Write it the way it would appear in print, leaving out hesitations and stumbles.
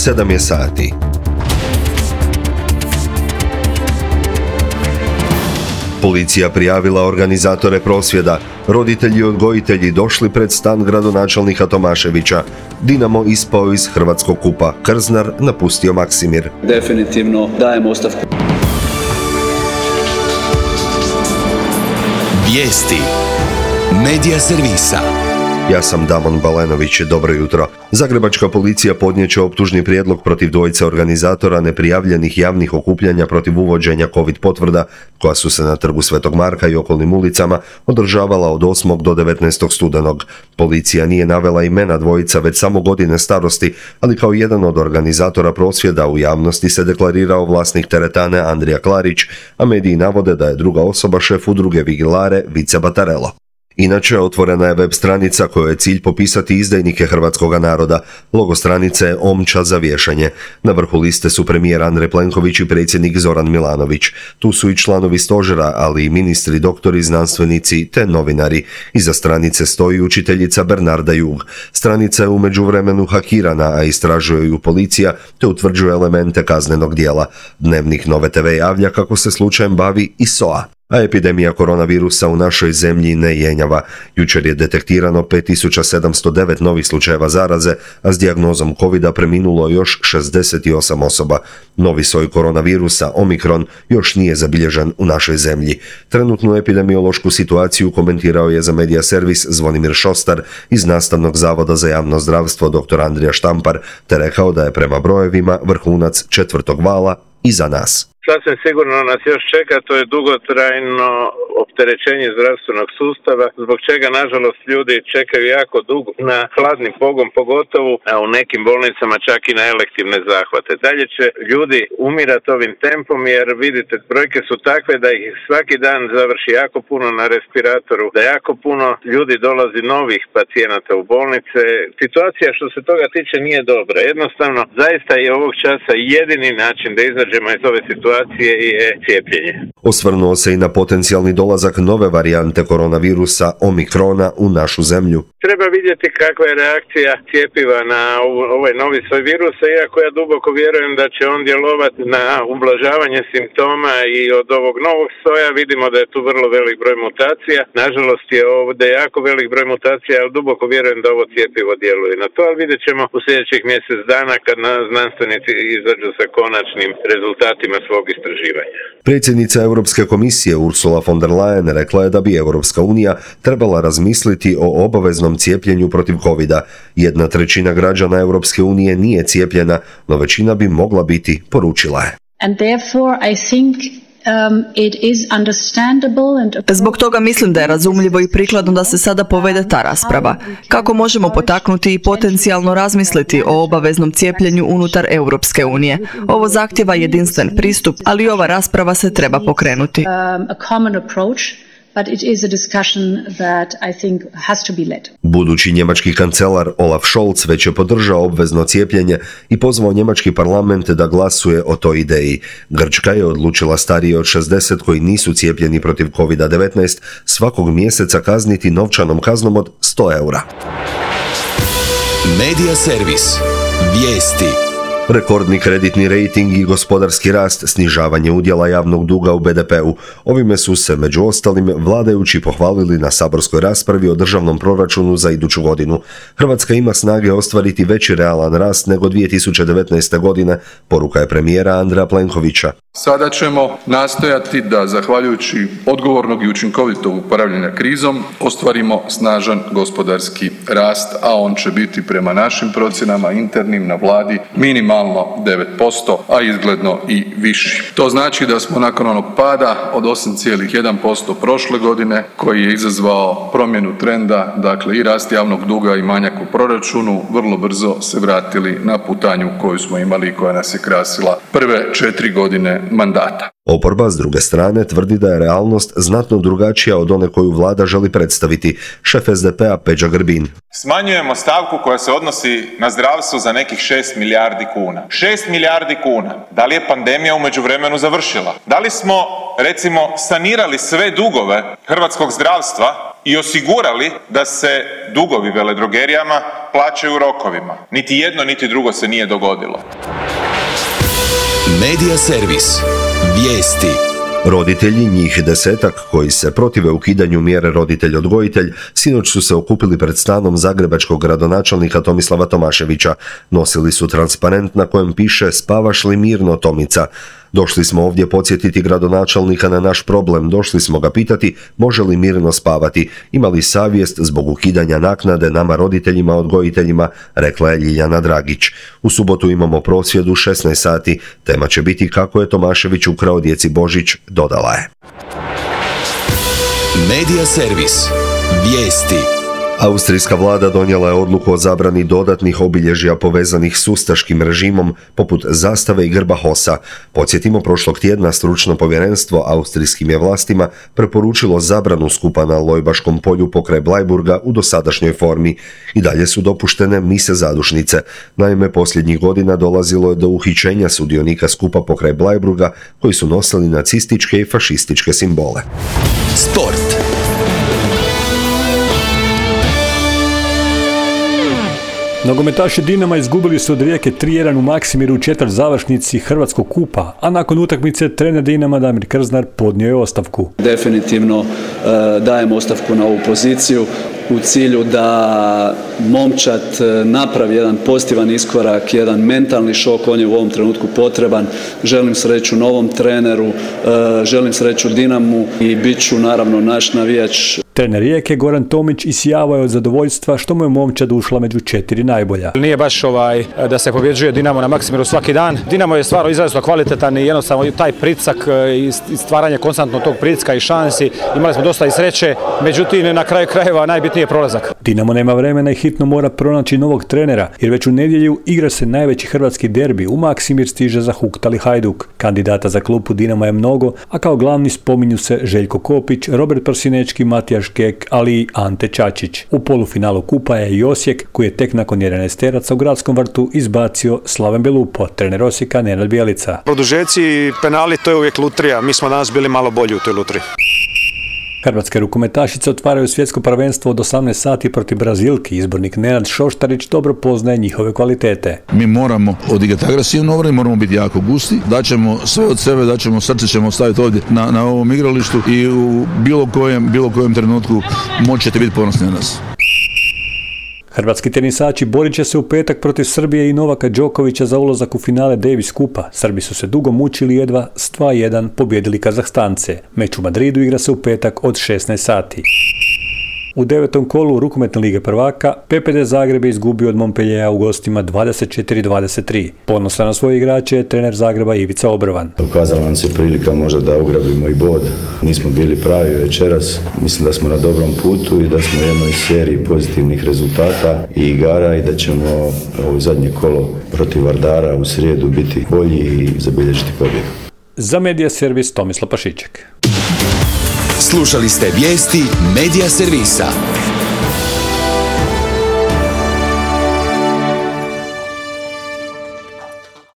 7 je sati. Policija prijavila organizatore prosvjeda. Roditelji i odgojitelji došli pred stan gradonačelnika Tomaševića. Dinamo ispao iz Hrvatskog kupa. Krznar napustio Maksimir. Definitivno dajem ostavku. Vijesti Medija servisa. Ja sam Damon Balenović, dobro jutro. Zagrebačka policija podnijet će optužni prijedlog protiv dvojice organizatora neprijavljenih javnih okupljanja protiv uvođenja COVID potvrda, koja su se na Trgu Svetog Marka i okolnim ulicama održavala od 8. do 19. studenog. Policija nije navela imena dvojica, već samo godine starosti, ali kao jedan od organizatora prosvjeda u javnosti se deklarirao vlasnik teretane Andrija Klarić, a mediji navode da je druga osoba šef udruge Vigilare Vice Batarello. Inače, otvorena je web stranica kojoj je cilj popisati izdajnike hrvatskoga naroda. Logo stranice je omča za vješanje. Na vrhu liste su premijer Andrej Plenković i predsjednik Zoran Milanović. Tu su i članovi stožera, ali i ministri, doktori, znanstvenici te novinari. Iza stranice stoji učiteljica Bernarda Jug. Stranica je u međuvremenu hakirana, a istražuje ju policija te utvrđuje elemente kaznenog djela. Dnevnik Nove TV javlja kako se slučajem bavi i SOA. A epidemija koronavirusa u našoj zemlji ne jenjava. Jučer je detektirano 5709 novih slučajeva zaraze, a s dijagnozom covida preminulo još 68 osoba. Novi soj koronavirusa, Omikron, još nije zabilježen u našoj zemlji. Trenutnu epidemiološku situaciju komentirao je za Medija servis Zvonimir Šostar iz Nastavnog zavoda za javno zdravstvo dr. Andrija Štampar, te rekao da je prema brojevima vrhunac 4. vala iza nas. Sasvim sigurno nas još čeka, to je dugotrajno opterećenje zdravstvenog sustava, zbog čega nažalost ljudi čekaju jako dugo na hladni pogon, pogotovo a u nekim bolnicama čak i na elektivne zahvate. Dalje će ljudi umirati ovim tempom jer vidite, brojke su takve da ih svaki dan završi jako puno na respiratoru, da jako puno ljudi dolazi novih pacijenata u bolnice. Situacija što se toga tiče nije dobra. Jednostavno, zaista je ovog časa jedini način da izađemo iz ove situacije je cijepljenje. Osvrnuo se i na potencijalni dolazak nove varijante koronavirusa Omikrona u našu zemlju. Treba vidjeti kakva je reakcija cjepiva na ovaj novi soj virusa, iako ja duboko vjerujem da će on djelovati na ublažavanje simptoma i od ovog novog soja vidimo da je tu vrlo velik broj mutacija. Nažalost je ovdje jako velik broj mutacija, ali duboko vjerujem da ovo cjepivo djeluje na to, ali vidjet ćemo u sljedećih mjesec dana kad znanstvenici izađu sa konačnim rezultatima svog istraživanja. Predsjednica Europske komisije Ursula von der Leyen rekla je da bi Europska unija trebala razmisliti o obaveznom cijepljenju protiv covida. 1/3 građana Europske unije nije cijepljena, no većina bi mogla biti, poručila je. Zbog toga mislim da je razumljivo i prikladno da se sada povede ta rasprava. Kako možemo potaknuti i potencijalno razmisliti o obaveznom cijepljenju unutar Europske unije? Ovo zahtjeva jedinstven pristup, ali ova rasprava se treba pokrenuti. But it is a discussion that I think has to be led. Budući njemački kancelar Olaf Scholz već je podržao obvezno cijepljenje i pozvao njemački parlament da glasuje o toj ideji. Grčka je odlučila starije od 60 koji nisu cijepljeni protiv COVID-19 svakog mjeseca kazniti novčanom kaznom od 100 eura. Medija servis. Vijesti. Rekordni kreditni rejting i gospodarski rast, snižavanje udjela javnog duga u BDP-u. Ovime su se, među ostalim, vladajući pohvalili na saborskoj raspravi o državnom proračunu za iduću godinu. Hrvatska ima snage ostvariti veći realan rast nego 2019. godine, poruka je premijera Andreja Plenkovića. Sada ćemo nastojati da, zahvaljujući odgovornog i učinkovitog upravljanja krizom, ostvarimo snažan gospodarski rast, a on će biti prema našim procjenama internim na vladi minimalno 9%, a izgledno i viši. To znači da smo nakon onog pada od 8,1% prošle godine, koji je izazvao promjenu trenda, dakle i rast javnog duga i manjak u proračunu, vrlo brzo se vratili na putanju koju smo imali i koja nas je krasila prve 4 godine mandata. Oporba, s druge strane, tvrdi da je realnost znatno drugačija od one koju vlada želi predstaviti. Šef SDP-a Peđa Grbin. Smanjujemo stavku koja se odnosi na zdravstvo za nekih 6 milijardi kuna. 6 milijardi kuna. Da li je pandemija u međuvremenu završila? Da li smo, recimo, sanirali sve dugove hrvatskog zdravstva i osigurali da se dugovi veledrogerijama plaćaju u rokovima. Niti jedno, niti drugo se nije dogodilo. Medija servis. Vijesti. Roditelji, njih 10 koji se protive ukidanju mjere roditelj-odgojitelj, sinoć su se okupili pred stanom zagrebačkog gradonačelnika Tomislava Tomaševića. Nosili su transparent na kojem piše "Spavaš li mirno, Tomica?" Došli smo ovdje podsjetiti gradonačelnika na naš problem, došli smo ga pitati može li mirno spavati, ima li savjest zbog ukidanja naknade nama roditeljima, odgojiteljima, rekla je Ljiljana Dragić. U subotu imamo prosvjed u 16 sati, tema će biti kako je Tomašević ukrao djeci Božić, dodala je. Medija servis. Vijesti. Austrijska vlada donijela je odluku o zabrani dodatnih obilježja povezanih s ustaškim režimom, poput zastave i grba HOS-a. Podsjetimo, prošlog tjedna stručno povjerenstvo austrijskim je vlastima preporučilo zabranu skupa na Lojbaškom polju pokraj Blajburga u dosadašnjoj formi. I dalje su dopuštene mise zadušnice. Naime, posljednjih godina dolazilo je do uhićenja sudionika skupa pokraj Blajburga koji su nosili nacističke i fašističke simbole. Sport. Nogometaši Dinama izgubili su od Rijeke 3-1 u Maksimiru u četvrtzavršnici Hrvatskog kupa, a nakon utakmice trener Dinama Damir Krznar podnio je ostavku. Definitivno dajem ostavku na ovu poziciju u cilju da momčad napravi jedan pozitivan iskorak, jedan mentalni šok, on je u ovom trenutku potreban. Želim sreću novom treneru, želim sreću Dinamu i bit ću naravno naš navijač. Trener Rijeke Goran Tomić isijavao je od zadovoljstva što mu je momčad ušla među 4 najbolja. Nije baš da se pobjeđuje Dinamo na Maksimiru svaki dan. Dinamo je stvarno izrazito kvalitetan i jednostavno taj pritisak i stvaranje konstantno tog pritiska i šansi. Imali smo dosta i sreće, međutim na kraju krajeva najbitniji je prolazak. Dinamo nema vremena i hitno mora pronaći novog trenera, jer već u nedjelju igra se najveći hrvatski derbi. U Maksimir stiže zahuktali Hajduk. Kandidata za klupu Dinama je mnogo, a kao glavni spominju se Željko Kopić, Robert Prosinečki, Matija Škek, ali i Ante Čačić. U polufinalu kupa je i Osijek, koji je tek nakon 11 teraca u Gradskom vrtu izbacio Slaven Belupo, trener Osijeka Nenad Bjelica. Produžeci i penali, to je uvijek lutrija. Mi smo danas bili malo bolji u toj lutriji. Hrvatske rukometašice otvaraju svjetsko prvenstvo od 18 sati protiv Brazilki. Izbornik Nenad Šoštarić dobro poznaje njihove kvalitete. Mi moramo odigrati agresivno obranu, moramo biti jako gusti, daćemo sve od sebe, srce ćemo staviti ovdje na ovom igralištu i u bilo kojem trenutku moći ćete biti ponosni na nas. Hrvatski tenisači borit će se u petak protiv Srbije i Novaka Đokovića za ulazak u finale Davis kupa. Srbi su se dugo mučili, jedva s 2-1 pobjedili Kazahstance. Meč u Madridu igra se u petak od 16 sati. U 9. kolu rukometne lige prvaka PPD Zagreb je izgubio od Montpelliera u gostima 24-23. Ponosan na svoje igrače je trener Zagreba Ivica Obrovan. Ukazala nam se prilika možda da ugrabimo i bod. Nismo bili pravi večeras. Mislim da smo na dobrom putu i da smo u jednoj seriji pozitivnih rezultata i igara i da ćemo ovo zadnje kolo protiv Vardara u srijedu biti bolji i zabilježiti pobjedu. Za Medija servis Tomislav Pašiček. Slušali ste vijesti Medija servisa.